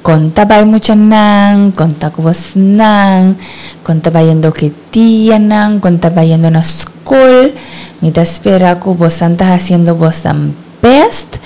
Kon ta bai muchanan? Kon ta ku bosnan? Kon ta bayendo ku e tianan? Kon ta bayendo na skol? Mi ta spera ku bosan ta hasiendo bosan best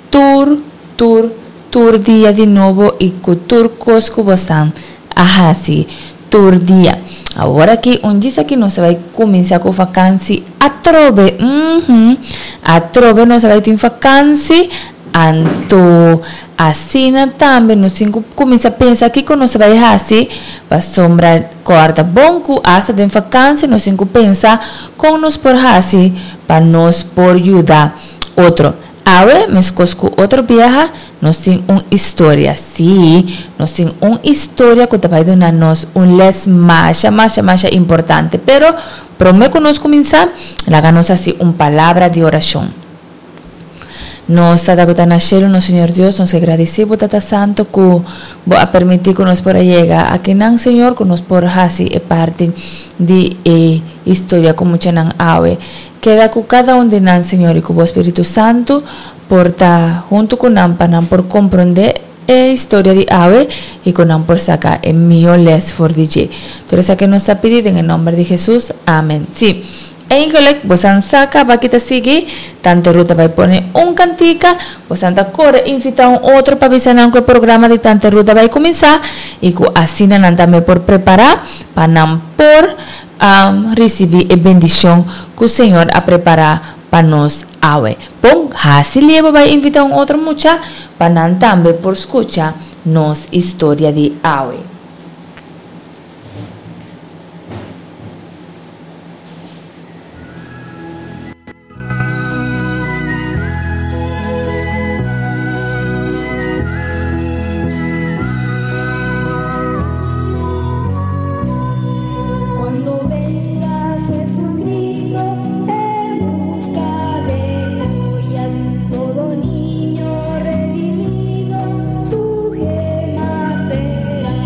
tur tur tur dia di nobo i ku tur kos ku bosan a hasi tur dia. Awor aki un djis aki nos ta bai kuminsá ku fakansi atrobe, uhmm, atrobe nos ta bai tin fakansi. Anto asina tambe nos tin ku kuminsá pensa kiko nos ta bai hasi pasobra kòrda bon ku asta den fakansia nos tin ku pensa kon nos por hasi pa nos por yuda otro. Awe meskos ku otro biaha nos tin un historia, sí, nos tin un historia ku ta bai duna nos un lès masha masha masha importante. Pero promé ku nos kuminsá laga nos hasi un palabra di orashon. Nos Tata ku ta na shelu, nos Señor Dios, nos ke gradisí bo Tata Santo ku bo a permití ku nos por a yega akinan, Señor, ku nos por hasi e parti di e historia ku muchanan awe. Keda ku kada un di nan, Señor, i ku bo Spiritu Santu por ta huntu ku nan pa nan por komprondé e historia di awe i ku nan por saka e mihó lès for di dje. Tur esaki nos ta pidi den e nòmber di Hesus. Amen. Sí. Eigenlijk, bosan sa kaba ki ta sigui, Tante Ruth ta bai pone un kantika, bosan ta kore invitá un otro pa bisa nan ku e programa di Tante Ruth ta bai kuminsá i ku asina nan tambe por prepará pa nan por risibí e bendishon ku Señor a prepará pa nos awe. Bon, hasi lie bo bai invitá un otro mucha pa nan tambe por skucha nos historia di awe. Cuando venga Jesucristo en busca de joyas, todo niño redimido su gema será.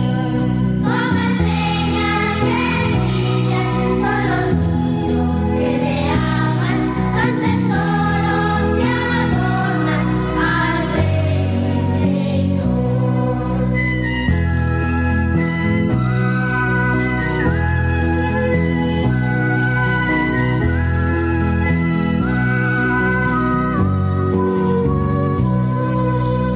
Como estrellas que brillan son los niños que te aman, son tesoros que adornan al Rey Señor.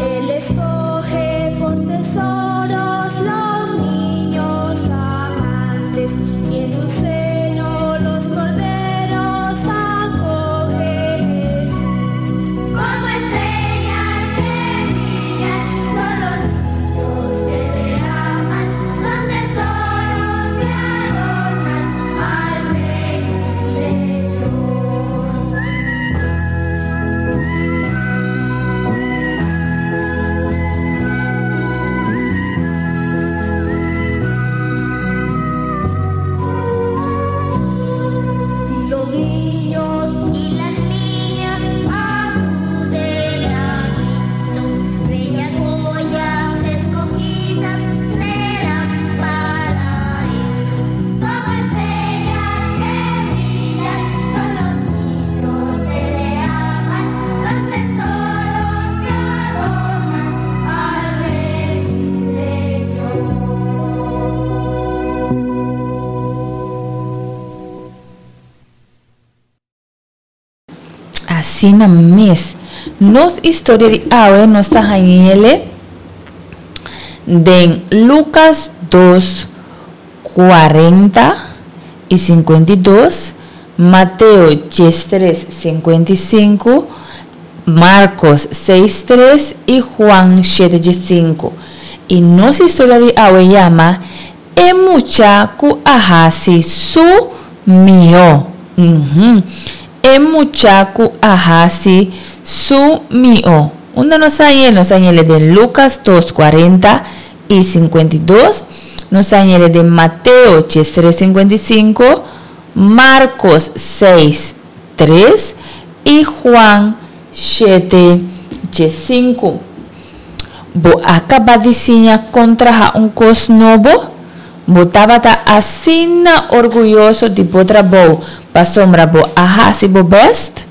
Él escoge por tesoros los niños amantes y en su seno los corderos acoge Jesús. Como estrellas que brillan son los niños que te aman, son tesoros que adornan al Rey Señor. Si los niños y las niñas acuden a Cristo, bellas joyas escogidas serán para Él. Como estrellas que brillan son los niños que le aman, son tesoros que adornan al Rey Señor. Asina mes. Nos historia di awe nos ta hañ'ele den Lucas dos, cuarenta y cincuenta y dos, Mateo diestres, cincuenta y sinku, Marcos seis, tres y Juan shete, diesinku. Y nos historia di awe yama E mucha ku a hasi su mihó. Uhum. E mucha ku a hasi su mihó. Unda nos a hañ'é? Nos a hañ'é den Lucas dos, cuarenta i cincuenta i dos. Nos a hañ'é den Mateo diestres, cincuenta i cinco, Marcos seis, tres i Juan shete, diescinco. Bo a kaba di siña kon traha un kos nobo? Bo tabata asina orguyoso di bo trabou pasobra bo a hasi bo bèst?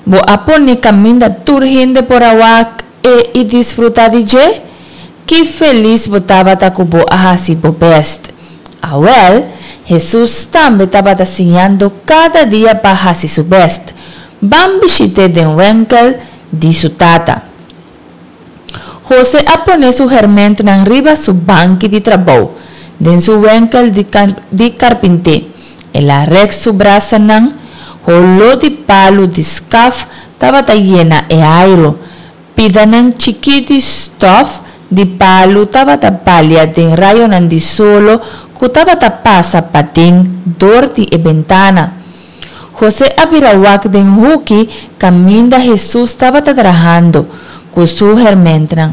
Bo a pone kaminda tur hende por a wak e i disfrutá di dje? Ki felis bo tabata ku bo a hasi bo bèst! Awèl, Hesus tambe tabata siñando kada dia pa hasi su bèst. Ban bishit'é den wenkel di su tata. José a pone su hèrmèntnan riba su banki di trabou den su wenkel di karpinté. El a rèk su brasanan, holó di palu di skaf tabata yena e airu. Pidanan chikí di stòf di palu tabata balia den rayonan di solo ku tabata pasa paden dor di e bentana. José a bira wak den huki kaminda Hesus tabata trahando ku su hèrmèntnan.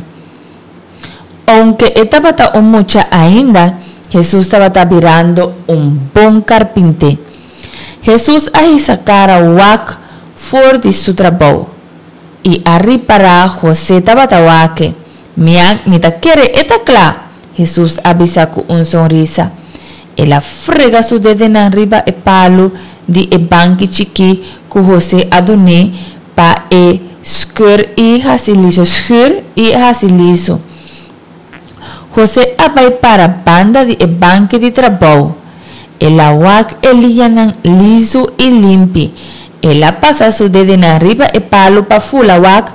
Ounke e tabata un mucha ainda, Hesus tabata birando un bon karpinté. Hesus a hisa kara wak for di su trabou i a ripará José tabata wak-e. Mi a, mi ta kere e ta kla! Hesus a bisa ku un sonrisa. El a frega su dedenan riba e palu di e banki chikí ku José a dun'é pa e skùr i hasi liso skùr i hasi liso. José a bai para banda di e banki di trabou. El a wak e liñanan liso i limpi. El a pasa su dedenan riba e palu pa fula wak.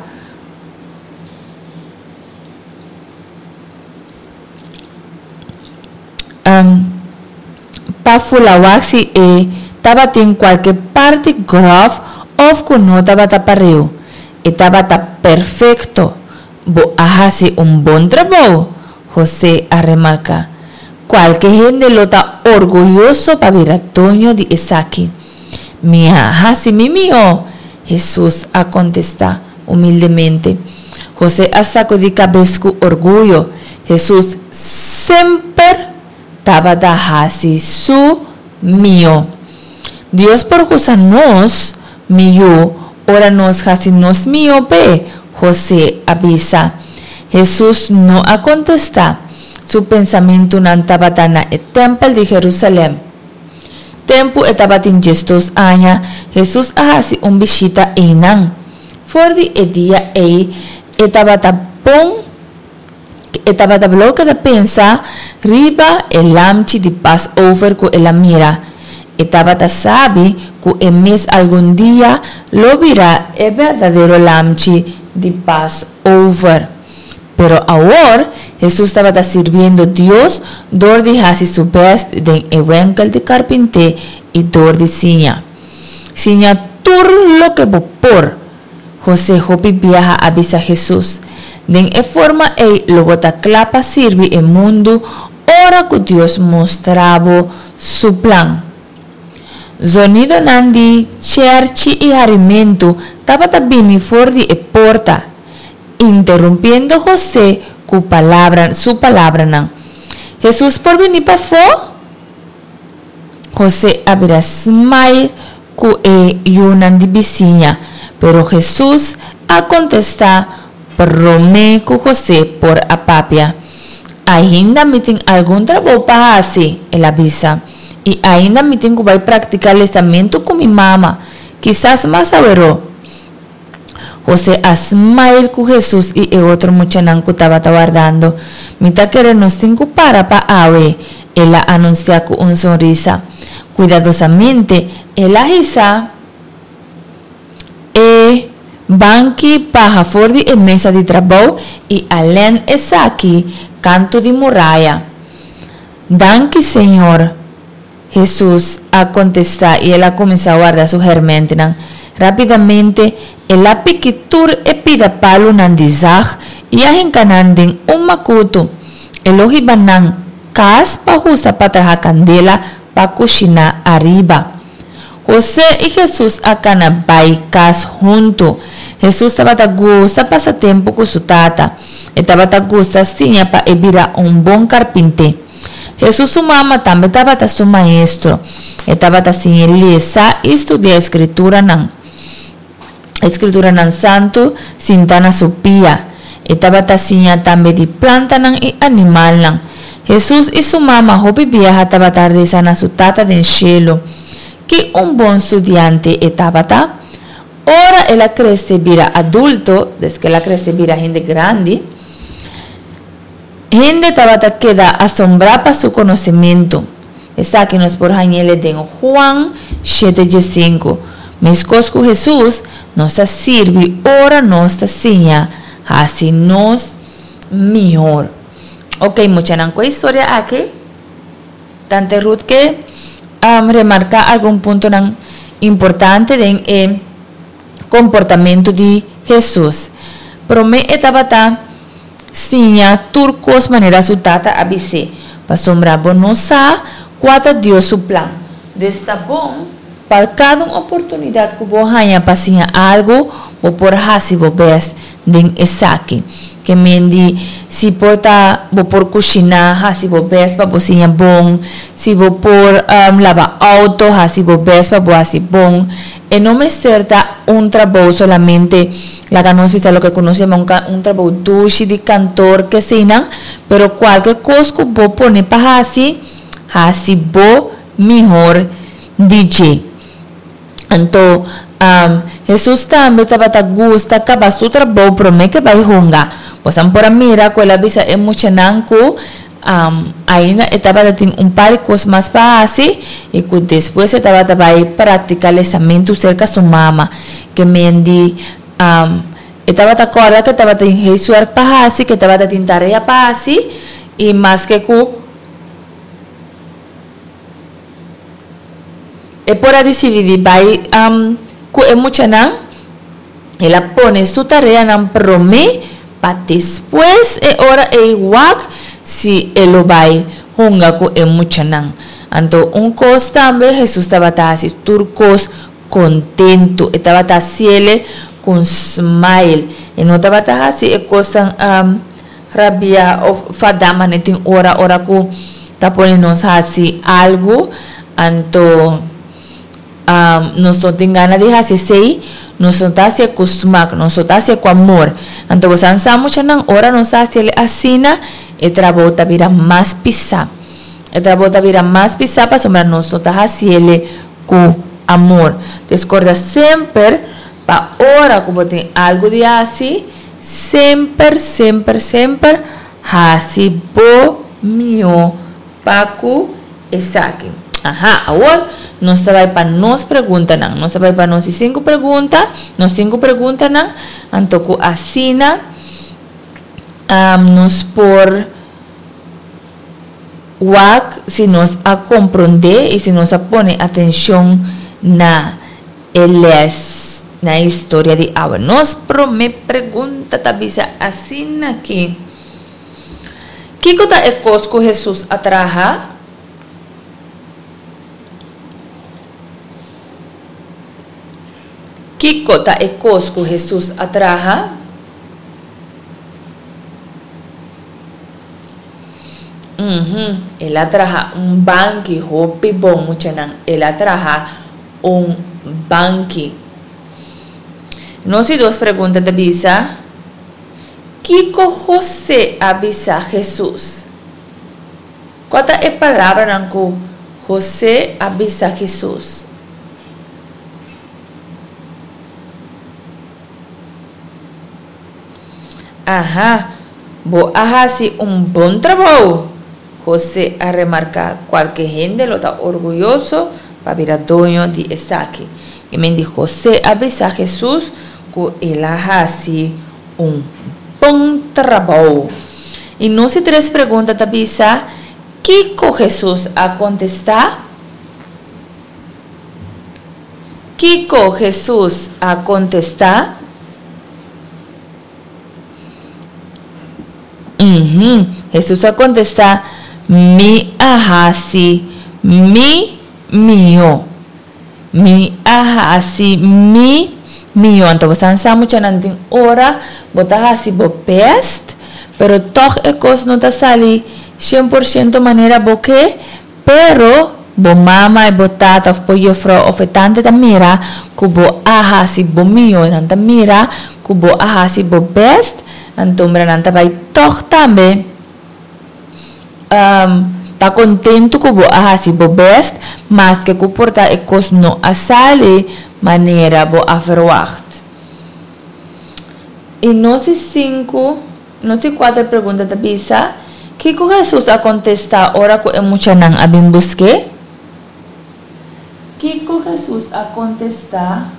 Pa fula wak si e tabatin kualke parti gròf òf ku no tabata pareu. E tabata perfekto. Bo a hasi un bon trabou, José a remarká. Kualke hende lo ta orguyoso pa bira doño di esaki. Mi a hasi mi mihó, Hesus a kontestá humildemente. José a sakudí kabes ku orguyo. Hesus semper tabata hasi su mihó. Dios por usa nos mihó ora nos hasi nos mihó p'e, José a bisa. Hesus no a kontestá. Su pensamentunan tabata na e tèmpel di Herúsalèm. Tempu e tabatin diesdos aña, Hesus a hasi un bishita einan. For di e dia ei, e tabata bon e tabata blou keda pensa riba e lamchi di Passover ku el a mira. E tabata sabi ku e mes algun dia lo bira e berdadero lamchi di Passover. Pero awor, Hesus tabata sirbiendo Dios dor di hasi su bèst den e wenkel di karpinté i dor di siña. Siña tur loke bo por, José hopi biaha a bisa Hesus. Den e forma ei lo bo ta kla pa sirbi e mundu ora ku Dios mustra bo su plan. Zonidonan di chèrchi i harimentu tabata bini for di e porta, interumpiendo José ku palabra su palabranan. Hesus por bini pafó? José a bira smile ku e yunan di bisiña, pero Hesus a kontestá promé ku José por a papia. Ainda mi tin algun trabou pa hasi, el a bisa, i ainda mi tin ku bai praktiká lesamentu ku mi mama, kisas mas aweró. José a smile ku Hesus i e otro muchanan ku tabata wardando. Mi ta kere nos tin ku para pa awe, el a anunsiá ku un sonrisa. Kuidadosamente, el a hisa e banki baha for di e mesa di trabou i a lèn esaki kantu di muraya. Danki, Señor! Hesus a kontestá i el a kuminsá warda su hèrmèntnan. Rápidamente, el a piki tur e pida palunan di zag i a hinka nan den un makutu. E lo hiba nan kas pa usa pa traha kandela pa kushiná ariba. Hosé i Hesus a kana bai kas huntu. Hesus tabata gusta pasa tempu ku su tata. E tabata gusta siña pa e bira un bon karpinté. Hesus su mama tambe tabata su maestro. E tabata siñ'é lesa i studia e Skrituranan. E Skrituranan Santu sinta na su pia. E tabata siña tambe di plantanan i animalnan. Hesus i su mama hopi biaha tabata resa na su Tata den shelu. Ki un bon studiante e tabata! Ora el a krese bira adulto, des ku el a krese bira hende grandi, Hende tabata keda asombrá pa su konosementu. Esaki nos por hañ'el den Juan shete diesinku. Meskos ku Hesus, nos ta sirbi ora nos ta siña hasi nos mihor. Oke, muchanan, ku e historia aki, Tante Ruth ke remarká algun puntonan importante den e komportamentu di Hesus. Promé e tabata Siña tur kos manera su tata a bis'é, pasobra bo no sa kua ta Dios su plan. Dus ta bon pa kada un oportunidat ku bo haña pa siña algu, bo por hasi bo bèst den esaki. Ke men di, si por ta bo por kushiná, hasi bo bèst pa bo siña bon, si bo por laba outo, hasi bo bèst pa bo hasi bon. E no mester ta un trabou solamente, laga nos bisa loke ku nos yama un un trabou dushi di kantor keseinan, pero kualke kos ku bo pone pa hasi, hasi bo mihor di dje. Anto, Hesus tambe tabata gusta kaba su trabou promé ke bai hunga. Bosan por a mira ku el a bisa e muchanan ku Ainda e tabata tin un par di kos mas pa hasi i ku despues e tabata bai praktiká lesamentu serka su mama. Ke men di, e tabata kòrda ku e tabata tin huiswerk pa hasi, ku e tabata tin tarea pa hasi i maske ku e por a disidí di bai ku e muchanan, El a pone su tareanan promé pa despues e ora ei wak si e lo bai hunga ku e muchanan. Anto un kos tambe, Hesus tabata hasi tur kos kontentu. E tabata hasiele ku un smile. E no tabata hasi e kosnan rabiá òf fadá manera tin ora ora ku ta pone nos hasi algu anto. Nos no tin gana di hasi esei, nos no ta hasié ku smak, nos no ta hasié ku amor. Anto bo sa sa muchanan, ora nos ta hasiel asina, e trabou ta bira mas pisá. E trabou ta bira mas pisá pasobra nos no ta hasiel ku amor. Entonces korda semper pa ora ku bo tin algu di hasi, semper, semper, semper hasi bo mihó pa ku esaki. Aha, awor nos ta bai pa nos preguntanan. Nos ta bai pa nos di sinku pregunta, nos sinku preguntanan, anto ku asina nos por wak si nos a komprondé i si nos a pone atenshon na e lès, na e historia di awe. Nos promé pregunta ta bisa asina ki. Kiko ta e kos ku Hesus a traha? Kiko ta e kos ku Hesus a traha? Uhum, el a traha un banki hopi bon, muchanan. El a traha un banki. Nos di dos pregunta ta bisa. Kiko José a bisa Hesus? Kua ta e palabranan ku José a bisa Hesus? Aha, bo a hasi un bon trabou! José a remarká. Kualke hende lo ta orguyoso pa bira doño di esaki. I men di José a bisa Hesus ku el a hasi un bon trabou. I nos di tres pregunta ta bisa, Kiko Hesus a kontestá? Kiko Hesus a kontestá? Uhum. Hesus a kontestá, Mi a hasi mi mihó. Mi a hasi mi mihó. Anto bo san sa muchanan tin ora bo ta hasi bo best, pero tòg e kos no ta sali shen por shento manera bo ke, pero bo mama i bo tata òf bo yefrou òf e tante ta mira ku bo a hasi bo mihó, nan ta mira ku bo a hasi bo best, anto mira nan ta bai tòg tambe. Ta kontentu ku bo a hasi bo bèst, maske ku por ta e kos no a sali manera bo a ferwagt. I nos di sinku, nos di kuater pregunta ta bisa, Kiko Hesus a kontestá ora ku e muchanan a bin busk'é? Kiko Hesus a kontestá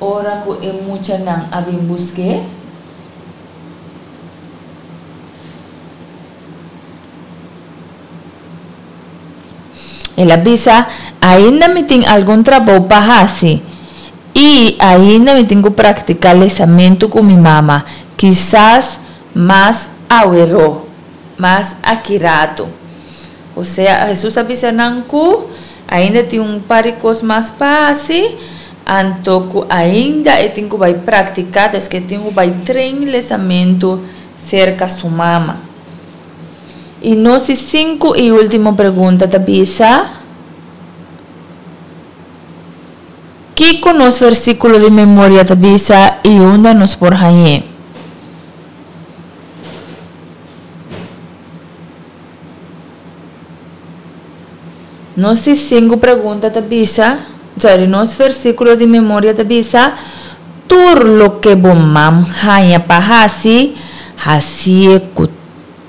ora ku e muchanan a bin busk'é? El a bisa, Ainda mi tin algun trabou pa hasi, i ainda mi tin ku praktiká lesamentu ku mi mama, kisas mas aweró, mas aki ratu. Osea, Hesus a bisa nan ku ainda tin un par di kos mas pa hasi, anto ku ainda e tin ku bai praktiká, des ku e tin ku bai train lesamentu serka su mama. I nos di sinku i último pregunta ta bisa, Kiko nos versíkulo di memoria ta bisa i unda nos por hañ'é? Nos di sinku pregunta ta bisa, sorry, nos versíkulo di memoria ta bisa, Tur loke bo mam haña pa hasi, hasié ku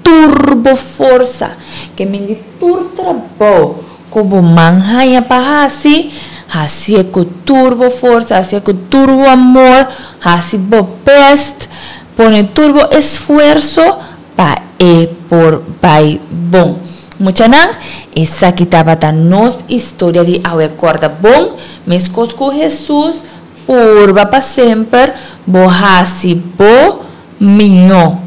tur bo forsa. Ke men di tur trabou ku bo man haña pa hasi, hasié ku tur bo forsa, hasié ku tur bo amor, hasi bo bèst, pone tur bo esfuerso pa e por bai bon. Muchanan, esaki tabata nos historia di awe. Kòrda bon, meskos ku Hesus, purba pa semper bo hasi bo mihó.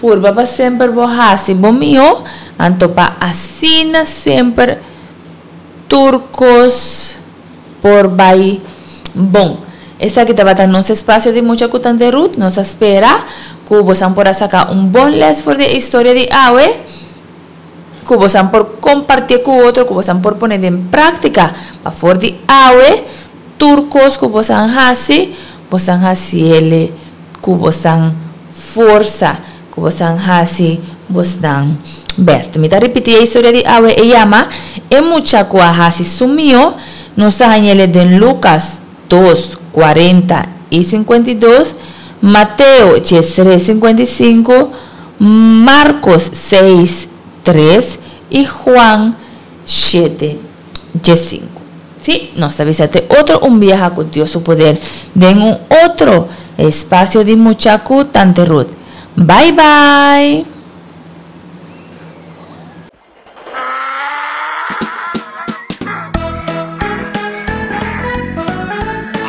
Purba pa semper bo hasi bo mihó, anto pa asina semper tur kos por bai bon. Esaki tabata nos espacio di Mucha cu Tante Ruth. Nos a spera cu bosan por a saca un bon les for di e historia di awe, cu bosan por compartie cu otro, cu bosan por pone den practica pa for di awe tur cos cu bosan haci, bosan haciele cu bosan forsa, cu bosan haci bosnan best. Mi ta ripiti e historia di awe, e yama E mucha cu a haci su mio, nos a hañele den Lucas dos, cuarenta y 52, Mateo 13, 55, Marcos 6, 3 y Juan 7, 5. Sí, nos ta bisa te otro un biaha cu Dios su poder den un otro espacio di Mucha cu Tante Ruth. Bye bye!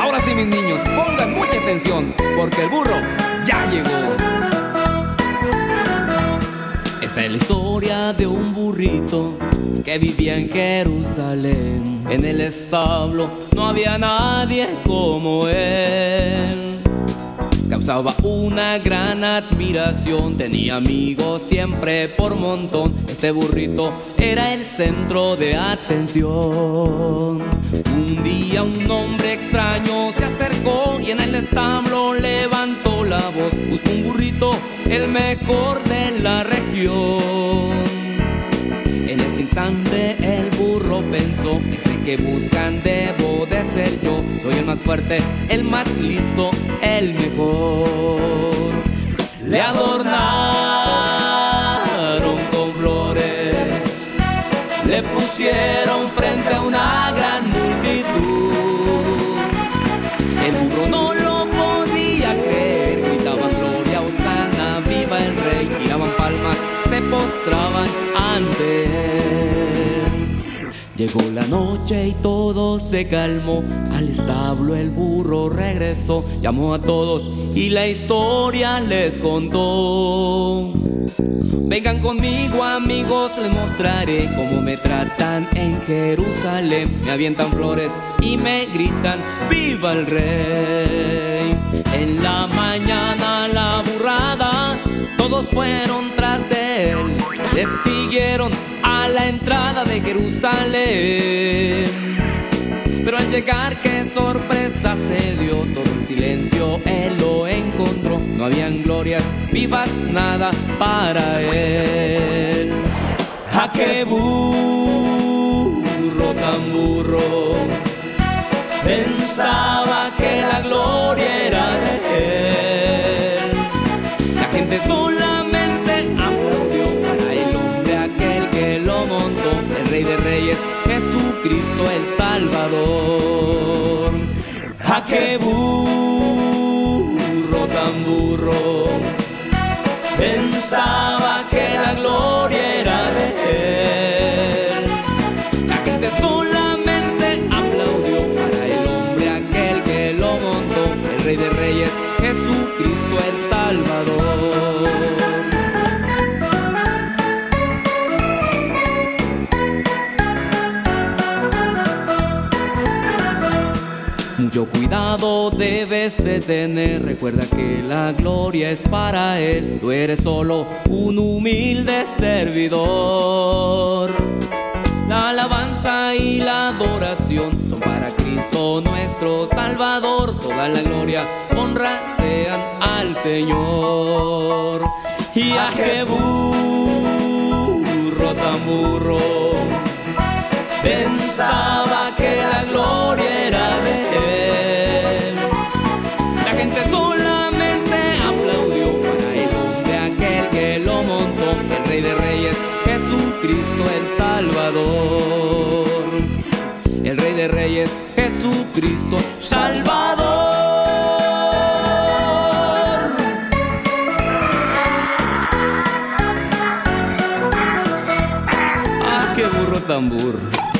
Ahora sí, mis niños, pongan mucha atención, porque el burro ya llegó. Esta es la historia de un burrito que vivía en Jerusalén. En el establo no había nadie como él. Causaba una gran admiración, tenía amigos siempre por montón. Este burrito era el centro de atención. Un día un hombre extraño se acercó y en el establo levantó la voz. Buscó un burrito, el mejor de la región. En ese instante el burro pensó, ese que buscan debo de ser yo. Soy el más fuerte, el más listo, el mejor. Le adornaron con flores, le pusieron frente a una gran multitud. El burro no lo podía creer, gritaban gloria, hosana, viva el rey, tiraban palmas, se postraban ante él. Llegó la noche y todo se calmó, al establo el burro regresó, llamó a todos y la historia les contó. Vengan conmigo amigos, les mostraré cómo me tratan en Jerusalén. Me avientan flores y me gritan, ¡viva el rey! En la mañana la burrada, todos fueron tras de él. Le siguieron a la entrada de Jerusalén. Pero al llegar, qué sorpresa se dio, todo en silencio él lo encontró. No habían glorias vivas, nada para él. ¡Ja, qué burro tan burro! Pensaba que la gloria era de él. La gente solamente aplaudió, para el hombre ¡Ah, qué burro tan burro! Pensaba que la gloria era de él. La gente solamente aplaudió para el hombre aquel que lo montó, el Rey de Reyes, Jesucristo el Salvador. Mucho cuidado debes de tener, recuerda que la gloria es para Él, tú eres solo un humilde servidor. La alabanza y la adoración son para Cristo nuestro Salvador, toda la gloria, honra sean al Señor. Y a qué burro tan burro, pensaba que la gloria era de él. La gente solamente aplaudió para el hombre aquel que lo montó, el Rey de Reyes, Jesucristo el Salvador. El Rey de Reyes, Jesucristo Salvador. Ah, qué burro tan burro.